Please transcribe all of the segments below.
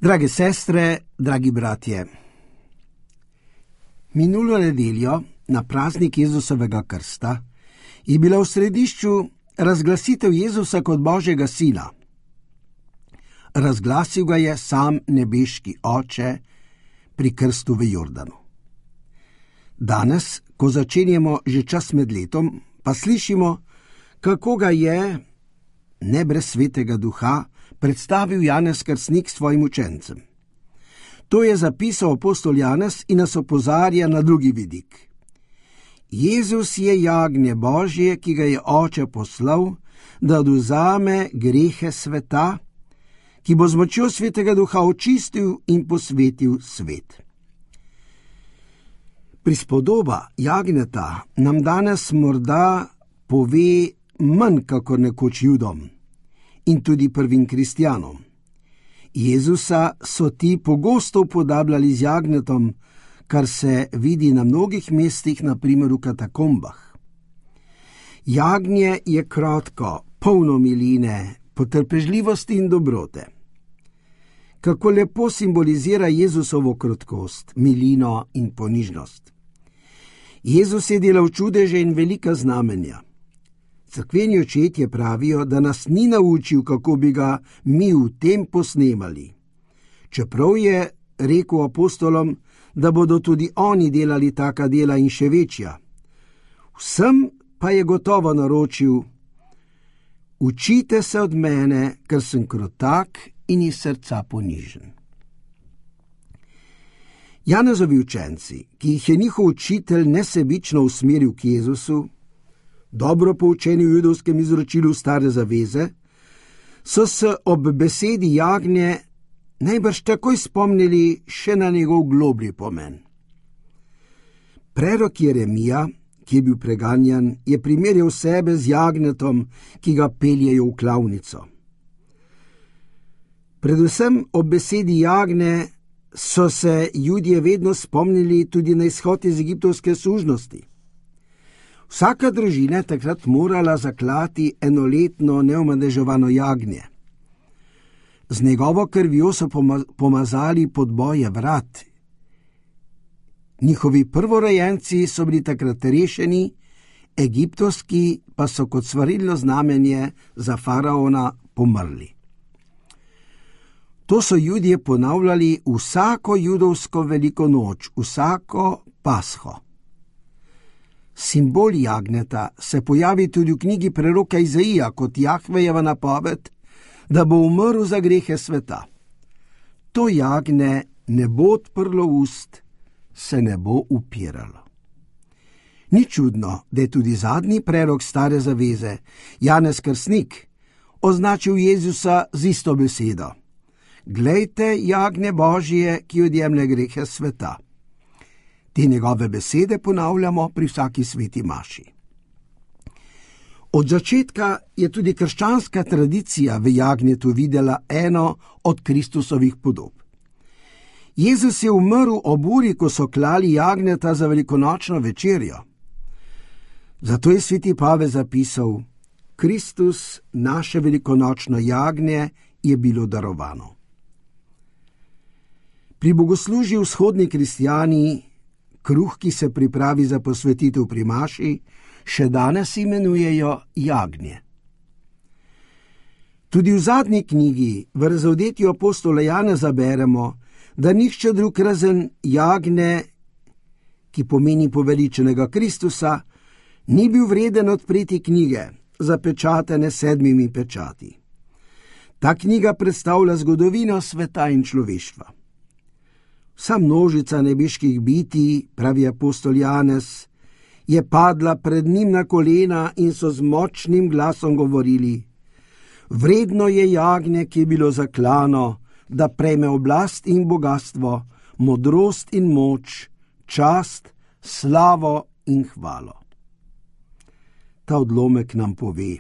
Drage sestre, dragi bratje, minulo nedeljo na praznik Jezusovega krsta je bila v središču razglasitev Jezusa kot Božjega sina. Razglasil ga je sam nebeški Oče pri krstu v Jordanu. Danes, ko začenjamo že čas med letom, pa slišimo, kako ga je, ne brez svetega duha, predstavil Janez Krstnik svojim učencem. To je zapisal apostol Janez in nas opozarja na drugi vidik. Jezus je jagnje Božje, ki ga je Oče poslal, da odvzame grehe sveta, ki bo z močjo svetega duha očistil in posvetil svet. Prispodoba jagnjeta nam danes morda pove manj kakor nekoč Judom in tudi prvim kristjanom. Jezusa so ti pogosto upodabljali z jagnjetom, kar se vidi na mnogih mestih, na primer v katakombah. Jagnje je kratko, polno miline, potrpežljivosti in dobrote. Kako lepo simbolizira Jezusovo krotkost, milino in ponižnost. Jezus je delal čudeže in velika znamenja. Cerkveni očetje pravijo, da nas ni naučil, kako bi ga mi v tem posnemali. Čeprav je rekel apostolom, da bodo tudi oni delali taka dela in še večja. Vsem pa je gotovo naročil: učite se od mene, ker sem krotak in iz srca ponižen. Janezovi učenci, ki jih je njihov učitelj nesebično usmeril k Jezusu, dobro poučeni v judovskem izročilu Stare zaveze, so se ob besedi jagnje najbrž takoj spomnili še na njegov globlji pomen. Prerok Jeremija, ki je bil preganjan, je primerjal sebe z jagnjetom, ki ga peljejo v klavnico. Predvsem ob besedi jagnje so se Judje vedno spomnili tudi na izhod iz egiptovske sužnosti. Vsaka družina je takrat morala zaklati enoletno neomadeževano jagnje. Z njegovo krvjo so pomazali podboje vrat. Njihovi prvorojenci so bili takrat rešeni, egiptovski pa so kot svarilno znamenje za faraona pomrli. To so Judje ponavljali vsako judovsko veliko noč, vsako pasho. Simbol jagnjeta se pojavi tudi v knjigi preroka Izaija kot Jahvejeva napoved, da bo umrl za grehe sveta. To jagnje ne bo odprlo ust, se ne bo upiralo. Ni čudno, da je tudi zadnji prerok Stare zaveze, Janez Krstnik, označil Jezusa z isto besedo: glejte jagnje Božje, ki odjemlje grehe sveta. Te njegove besede ponavljamo pri vsaki sveti maši. Od začetka je tudi krščanska tradicija v jagnjetu videla eno od Kristusovih podob. Jezus je umrl ob uri, ko so klali jagnjeta za velikonočno večerjo. Zato je sveti Pavel zapisal: Kristus, naše velikonočno jagnje, je bilo darovano. Pri bogoslužju vzhodni kristjani kruh, ki se pripravi za posvetitev pri maši, še danes imenujejo jagnje. Tudi v zadnji knjigi, v razodetju apostola Janeza, beremo, da nihče drug razen jagnje, ki pomeni poveličenega Kristusa, ni bil vreden odpreti knjige, zapečatene 7 pečati. Ta knjiga predstavlja zgodovino sveta in človeštva. Vsa množica nebeških bitij, pravi apostol Janez, je padla pred njim na kolena in so z močnim glasom govorili: vredno je jagnje, ki je bilo zaklano, da prejme oblast in bogastvo, modrost in moč, čast, slavo in hvalo. Ta odlomek nam pove: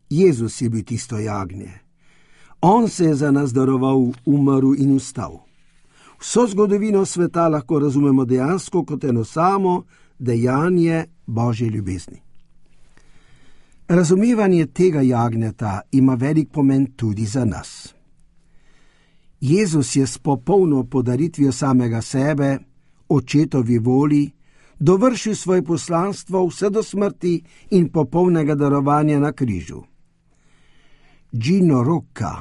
Jezus je bil tisto jagnje. On se je za nas daroval, umrl in vstal. Vso zgodovino sveta lahko razumemo dejansko kot eno samo dejanje Božje ljubezni. Razumevanje tega jagnjeta ima velik pomen tudi za nas. Jezus je s popolno podaritvijo samega sebe, očetovi voli, dovršil svoje poslanstvo vse do smrti in popolnega darovanja na križu. Gino Rocca,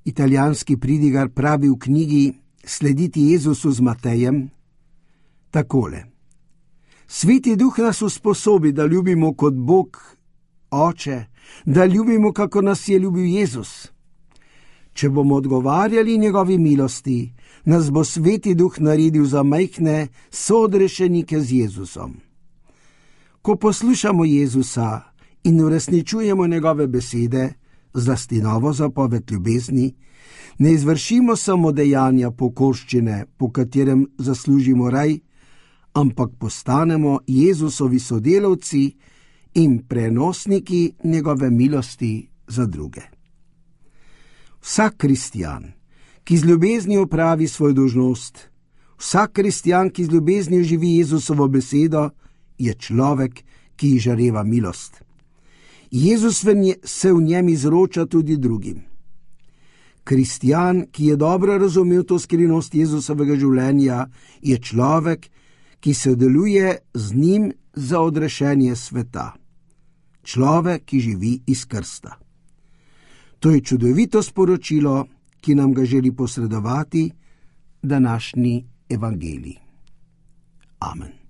italijanski pridigar, pravi v knjigi Slediti Jezusu z Matejem takole: Sveti Duh nas usposobi, da ljubimo kot Bog Oče, da ljubimo, kako nas je ljubil Jezus. Če bomo odgovarjali njegovi milosti, nas bo Sveti Duh naredil za majhne soodrešenike z Jezusom. Ko poslušamo Jezusa in uresničujemo njegove besede, zlasti novo zapoved ljubezni, ne izvršimo samo dejanja pokorščine, po katerem zaslužimo raj, ampak postanemo Jezusovi sodelavci in prenosniki njegove milosti za druge. Vsak kristjan, ki z ljubeznijo opravi svojo dolžnost, vsak kristjan, ki z ljubeznijo živi Jezusovo besedo, je človek, ki izžareva milost. Jezus se v njem izroča tudi drugim. Kristjan, ki je dobro razumel to skrivnost Jezusovega življenja, je človek, ki sodeluje z njim za odrešenje sveta. Človek, ki živi iz krsta. To je čudovito sporočilo, ki nam ga želi posredovati današnji evangelij. Amen.